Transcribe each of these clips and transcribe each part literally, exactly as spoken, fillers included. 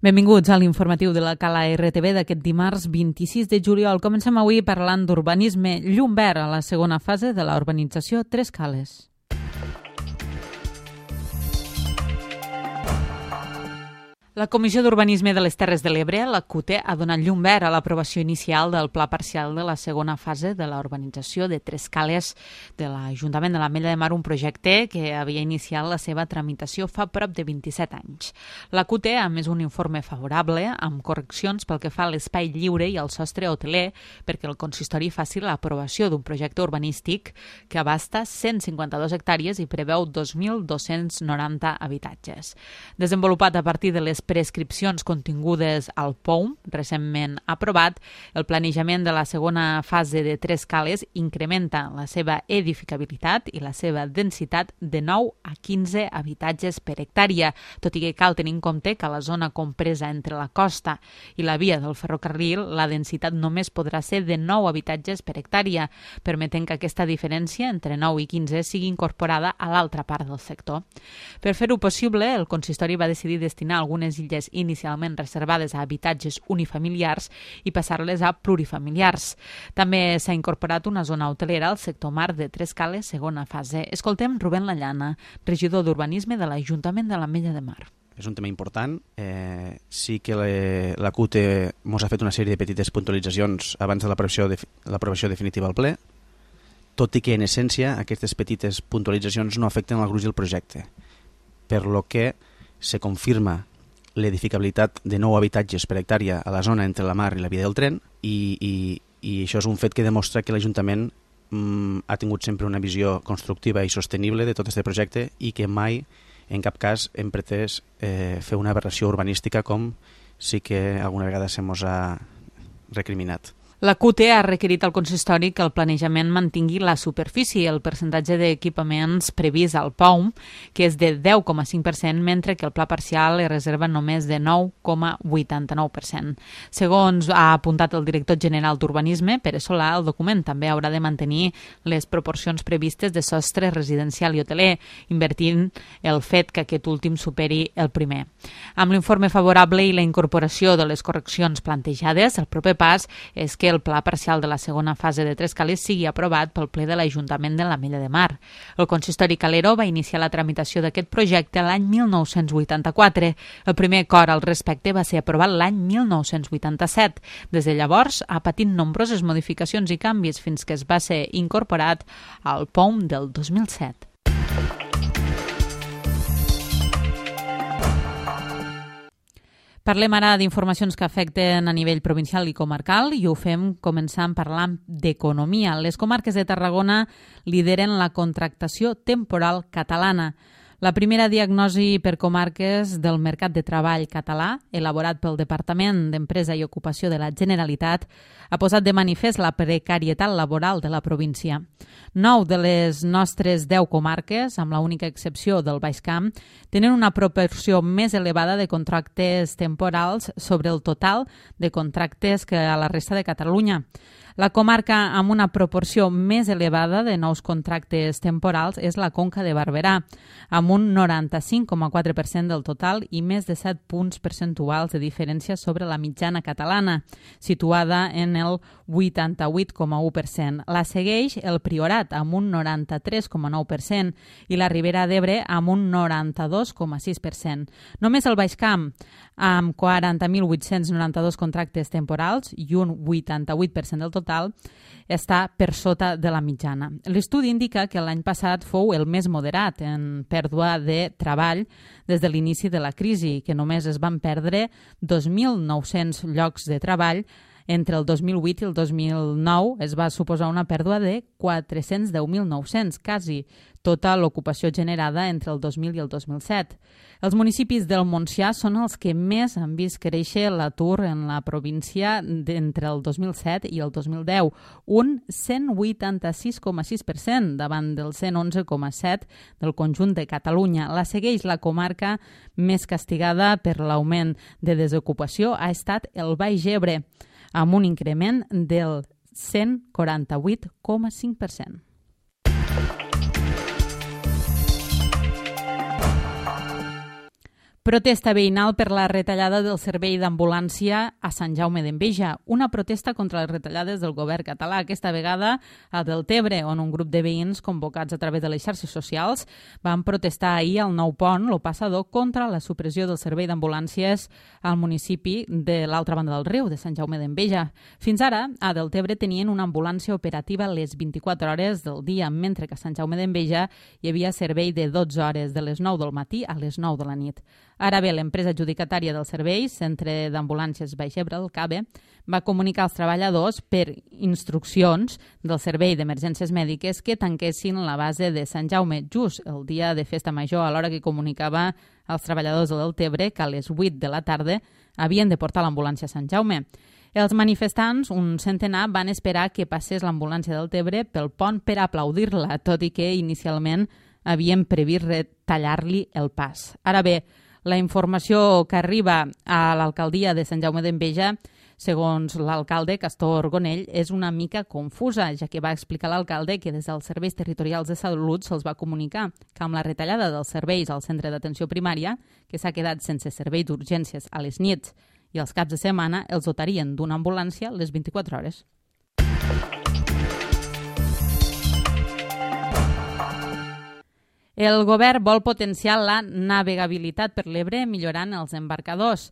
Benvinguts a l'informatiu de la Cala R T V d'aquest dimarts vint-i-sis de juliol. Comencem avui parlant d'urbanisme llum verd a la segona fase de la urbanització Tres Cales. La Comissió d'Urbanisme de les Terres de l'Ebre, la C U T E, ha donat llum verd a l'aprovació inicial del pla parcial de la segona fase de la urbanització de Tres Cales de l'Ajuntament de l'Ametlla de Mar, un projecte que havia iniciat la seva tramitació fa prop de vint-i-set anys. La C U T E ha emès un informe favorable amb correccions pel que fa a l'espai lliure i al sostre hoteler perquè el consistori faci l'aprovació d'un projecte urbanístic que abasta cent cinquanta-dues hectàrees i preveu dos mil dos-cents noranta habitatges. Desenvolupat a partir de les prescripcions contingudes al P O U M, recentment aprovat, el planejament de la segona fase de Tres Cales incrementa la seva edificabilitat i la seva densitat de nou a quinze habitatges per hectàrea, tot i que cal tenir en compte que a la zona compresa entre la costa i la via del ferrocarril la densitat només podrà ser de nou habitatges per hectàrea, permetent que aquesta diferència entre nou i quinze sigui incorporada a l'altra part del sector. Per fer-ho possible, el consistori va decidir destinar algunes illes inicialment reservades a habitatges unifamiliars i passar-les a plurifamiliars. També s'ha incorporat una zona hotelera al sector mar de Tres Cales, segona fase. Escoltem Rubén Lallana, regidor d'Urbanisme de l'Ajuntament de l'Ametlla de Mar. És un tema important. Eh, sí que le, la C U T E ens ha fet una sèrie de petites puntualitzacions abans de l'aprovació de, l'aprovació definitiva al ple, tot i que en essència aquestes petites puntualitzacions no afecten el gruix del projecte, per lo que se confirma l'edificabilitat de nou habitatges per hectàrea a la zona entre la mar i la via del tren i, i, i això és un fet que demostra que l'Ajuntament mm, ha tingut sempre una visió constructiva i sostenible de tot aquest projecte i que mai, en cap cas, hem pretès eh, fer una aberració urbanística com sí que alguna vegada se mos ha recriminat. La C U T E ha requerit al consistori que el planejament mantingui la superfície i el percentatge d'equipaments previst al P O U M, que és de deu coma cinc per cent, mentre que el pla parcial es reserva només de nou coma vuitanta-nou per cent. Segons ha apuntat el director general d'Urbanisme, Pere Solà, el document també haurà de mantenir les proporcions previstes de sostre residencial i hoteler, invertint el fet que aquest últim superi el primer. Amb l'informe favorable i la incorporació de les correccions plantejades, el proper pas és que el pla parcial de la segona fase de Tres Cales sigui aprovat pel ple de l'Ajuntament de l'Ametlla de Mar. El consistori calero va iniciar la tramitació d'aquest projecte l'any mil nou-cents vuitanta-quatre. El primer acord al respecte va ser aprovat l'any mil nou-cents vuitanta-set. Des de llavors ha patit nombroses modificacions i canvis fins que es va ser incorporat al P O U M del dos mil set. Parlem ara d'informacions que afecten a nivell provincial i comarcal i ho fem començant parlant d'economia. Les comarques de Tarragona lideren la contractació temporal catalana. La primera diagnosi per comarques del mercat de treball català, elaborat pel Departament d'Empresa i Ocupació de la Generalitat, ha posat de manifest la precarietat laboral de la província. Nou de les nostres deu comarques, amb l'única excepció del Baix Camp, tenen una proporció més elevada de contractes temporals sobre el total de contractes que a la resta de Catalunya. La comarca amb una proporció més elevada de nous contractes temporals és la Conca de Barberà, amb un noranta-cinc coma quatre per cent del total i més de set punts percentuals de diferència sobre la mitjana catalana, situada en el vuitanta-vuit coma u per cent. La segueix el Priorat, amb un noranta-tres coma nou per cent, i la Ribera d'Ebre, amb un noranta-dos coma sis per cent. Només el Baix Camp, amb quaranta mil vuit-cents noranta-dos contractes temporals i un vuitanta-vuit per cent del total, està per sota de la mitjana. L'estudi indica que l'any passat fou el més moderat en pèrdua de treball des de l'inici de la crisi, que només es van perdre dos mil nou-cents llocs de treball. Entre el dos mil vuit i el dos mil nou es va suposar una pèrdua de quatre-cents deu mil nou-cents, quasi tota l'ocupació generada entre el dos mil i el dos mil set. Els municipis del Montsià són els que més han vist créixer l'atur en la província entre el dos mil set i el dos mil deu, un cent vuitanta-sis coma sis per cent davant del cent onze coma set del conjunt de Catalunya. La segueix la comarca més castigada per l'augment de desocupació ha estat el Baix Ebre, amb un increment del cent quaranta-vuit coma cinc per cent. Protesta veïnal per la retallada del servei d'ambulància a Sant Jaume d'Enveja. Una protesta contra les retallades del govern català, aquesta vegada a Deltebre, on un grup de veïns convocats a través de les xarxes socials van protestar ahir al Nou Pont, lo passador, contra la supressió del servei d'ambulàncies al municipi de l'altra banda del riu, de Sant Jaume d'Enveja. Fins ara, a Deltebre tenien una ambulància operativa les vint-i-quatre hores del dia, mentre que a Sant Jaume d'Enveja hi havia servei de dotze hores, de les nou del matí a les nou de la nit. Ara bé, l'empresa adjudicatària del servei, Centre d'Ambulàncies Baix Ebre, el CABE, va comunicar als treballadors per instruccions del Servei d'Emergències Mèdiques que tanquessin la base de Sant Jaume just el dia de festa major, a l'hora que comunicava als treballadors de Deltebre que a les vuit de la tarda havien de portar l'ambulància a Sant Jaume. Els manifestants, un centenar, van esperar que passés l'ambulància del Deltebre pel pont per aplaudir-la, tot i que inicialment havien previst retallar-li el pas. Ara bé, la informació que arriba a l'alcaldia de Sant Jaume d'Enveja, segons l'alcalde Castor Gonell, és una mica confusa, ja que va explicar l'alcalde que des dels serveis territorials de salut se'ls va comunicar que amb la retallada dels serveis al centre d'atenció primària, que s'ha quedat sense servei d'urgències a les nits i els caps de setmana, els dotarien d'una ambulància les vint-i-quatre hores. El govern vol potenciar la navegabilitat per l'Ebre millorant els embarcadors.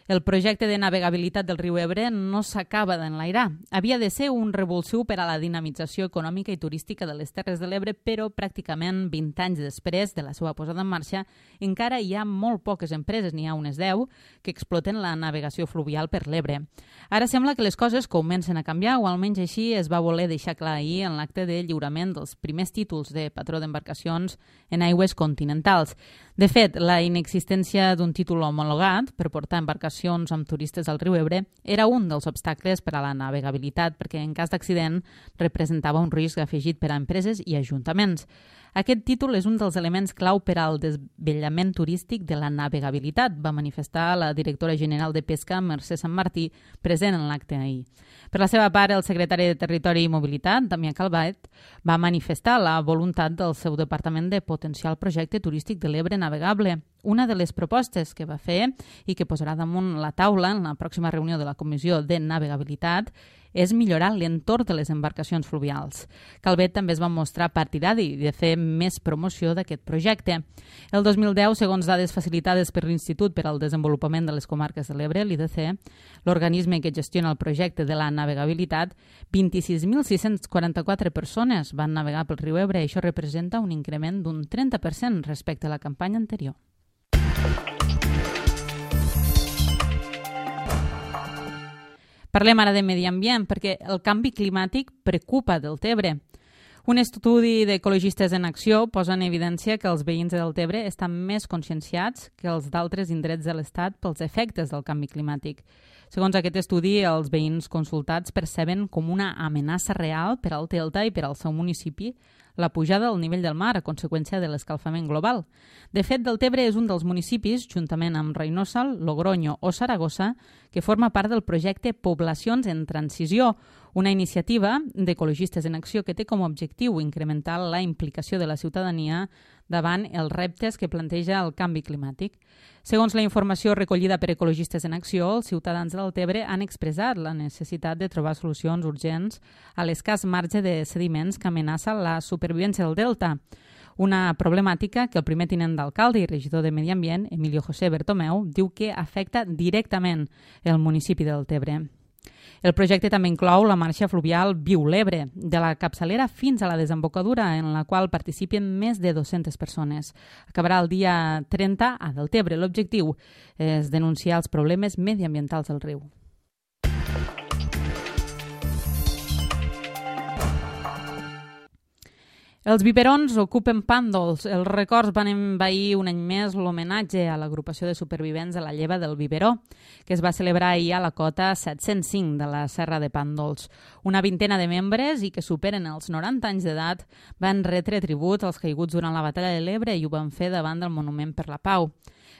El projecte de navegabilitat del riu Ebre no s'acaba d'enlairar. Havia de ser un revulsiu per a la dinamització econòmica i turística de les Terres de l'Ebre, però pràcticament vint anys després de la seva posada en marxa encara hi ha molt poques empreses, n'hi ha unes deu, que exploten la navegació fluvial per l'Ebre. Ara sembla que les coses comencen a canviar, o almenys així es va voler deixar clar ahir en l'acte de lliurament dels primers títols de patró d'embarcacions en aigües continentals. De fet, la inexistència d'un títol homologat per portar embarcacions amb turistes al riu Ebre era un dels obstacles per a la navegabilitat, perquè en cas d'accident representava un risc afegit per a empreses i ajuntaments. Aquest títol és un dels elements clau per al desvellament turístic de la navegabilitat, va manifestar la directora general de Pesca, Mercè Sant Martí, present en l'acte ahir. Per la seva part, el secretari de Territori i Mobilitat, Damià Calvet, va manifestar la voluntat del seu departament de potenciar el projecte turístic de l'Ebre navegable. Una de les propostes que va fer i que posarà damunt la taula en la pròxima reunió de la Comissió de Navegabilitat és millorar l'entorn de les embarcacions fluvials. Calvet també es va mostrar partidari de fer més promoció d'aquest projecte. El dos mil deu, segons dades facilitades per l'Institut per al Desenvolupament de les Comarques de l'Ebre, l'I D C, l'organisme que gestiona el projecte de la navegabilitat, vint-i-sis mil sis-cents quaranta-quatre persones van navegar pel riu Ebre i això representa un increment d'un trenta per cent respecte a la campanya anterior. Parlem ara de medi ambient, perquè el canvi climàtic preocupa Deltebre. Un estudi d'Ecologistes en Acció posa en evidència que els veïns de Deltebre estan més conscienciats que els d'altres indrets de l'Estat pels efectes del canvi climàtic. Segons aquest estudi, els veïns consultats perceben com una amenaça real per al Delta i per al seu municipi la pujada del nivell del mar a conseqüència de l'escalfament global. De fet, Deltebre és un dels municipis, juntament amb Reynosa, Logroño o Saragossa, que forma part del projecte Poblacions en Transició, una iniciativa d'Ecologistes en Acció que té com a objectiu incrementar la implicació de la ciutadania davant els reptes que planteja el canvi climàtic. Segons la informació recollida per Ecologistes en Acció, els ciutadans de Deltebre han expressat la necessitat de trobar solucions urgents a l'escàs marge de sediments que amenaça la supervivència del delta, una problemàtica que el primer tinent d'alcalde i regidor de Medi Ambient, Emilio José Bertomeu, diu que afecta directament el municipi de Deltebre. El projecte també inclou la marxa fluvial Viu l'Ebre, de la capçalera fins a la desembocadura, en la qual participen més de dues-centes persones. Acabarà el dia trenta a Deltebre. L'objectiu és denunciar els problemes mediambientals del riu. Els biberons ocupen pàndols. Els records van envair un any més l'homenatge a l'agrupació de supervivents de la lleva del biberó, que es va celebrar ahir a la cota set-cents cinc de la Serra de Pàndols. Una vintena de membres i que superen els noranta anys d'edat van retre tribut als caiguts durant la batalla de l'Ebre i ho van fer davant del Monument per la Pau.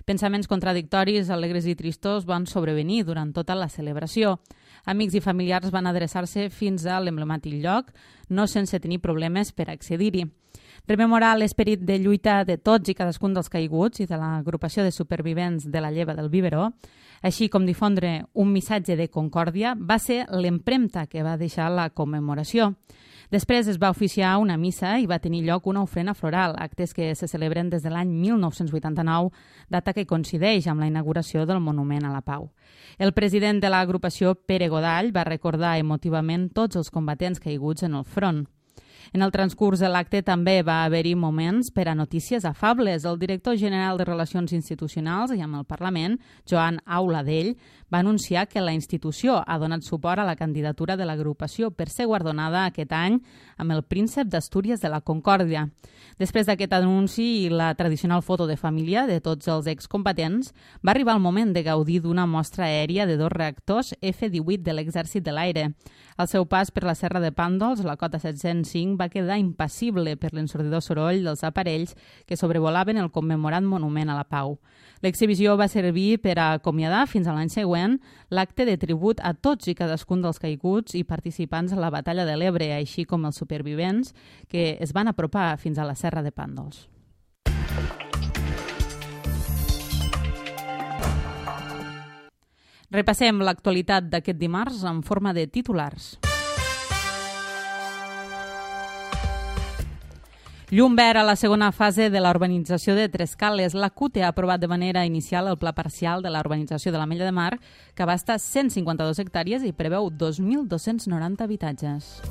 Pensaments contradictoris, alegres i tristos van sobrevenir durant tota la celebració. Amics i familiars van adreçar-se fins a l'emblemàtic lloc, no sense tenir problemes per accedir-hi. rememorar l'esperit de lluita de tots i cadascun dels caiguts i de l'agrupació de supervivents de la lleva del biberó, així com difondre un missatge de concòrdia, va ser l'empremta que va deixar la commemoració. Després es va oficiar una missa i va tenir lloc una ofrena floral, actes que se celebren des de l'any mil nou-cents vuitanta-nou, data que coincideix amb la inauguració del Monument a la Pau. El president de l'agrupació, Pere Godall, va recordar emotivament tots els combatents caiguts en el front. En el transcurs de l'acte també va haver-hi moments per a notícies afables. El director general de Relacions Institucionals i amb el Parlament, Joan Auladell, va anunciar que la institució ha donat suport a la candidatura de l'agrupació per ser guardonada aquest any amb el Príncep d'Astúries de la Concòrdia. Després d'aquest anunci i la tradicional foto de família de tots els excombatents, va arribar el moment de gaudir d'una mostra aèria de dos reactors F divuit de l'Exèrcit de l'Aire. Al seu pas per la Serra de Pàndols, la cota set-cents cinc va quedar impassible per l'ensordidor soroll dels aparells que sobrevolaven el commemorat Monument a la Pau. L'exhibició va servir per a acomiadar fins a l'any següent l'acte de tribut a tots i cadascun dels caiguts i participants a la Batalla de l'Ebre, així com els supervivents que es van apropar fins a la Serra de Pàndols. Repassem l'actualitat d'aquest dimarts en forma de titulars. Llum verd a la segona fase de la urbanització de Trescales. La C U T ha aprovat de manera inicial el pla parcial de la urbanització de l'Ametlla de Mar, que abasta cent cinquanta-dos hectàrees i preveu dos mil dos-cents noranta habitatges.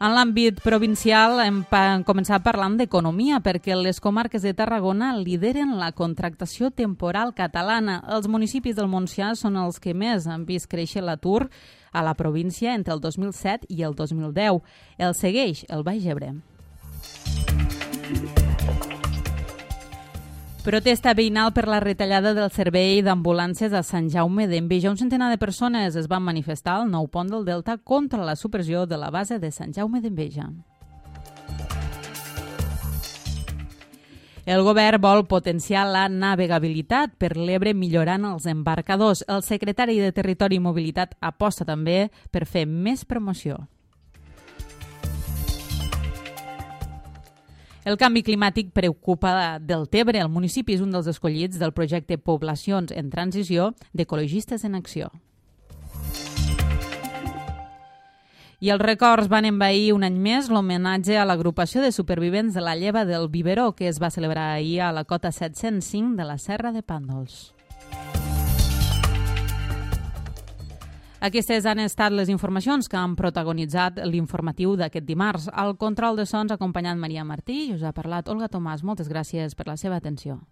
En l'àmbit provincial hem començat parlant d'economia perquè les comarques de Tarragona lideren la contractació temporal catalana. Els municipis del Montsià són els que més han vist créixer l'atur a la província entre el dos mil set i el dos mil deu. El segueix el Baix Ebre. Protesta veïnal per la retallada del servei d'ambulàncies a Sant Jaume d'Enveja. Un centenar de persones es van manifestar al nou pont del Delta contra la supressió de la base de Sant Jaume d'Enveja. El govern vol potenciar la navegabilitat per l'Ebre millorant els embarcadors. El secretari de Territori i Mobilitat aposta també per fer més promoció. El canvi climàtic preocupa Deltebre. El municipi és un dels escollits del projecte Poblacions en Transició d'Ecologistes en Acció. I els records van envair un any més l'homenatge a l'agrupació de supervivents de la lleva del biberó que es va celebrar ahir a la cota set-cents cinc de la Serra de Pàndols. Aquestes han estat les informacions que han protagonitzat l'informatiu d'aquest dimarts. Al control de sons ha acompanyat Maria Martí i us ha parlat Olga Tomàs. Moltes gràcies per la seva atenció.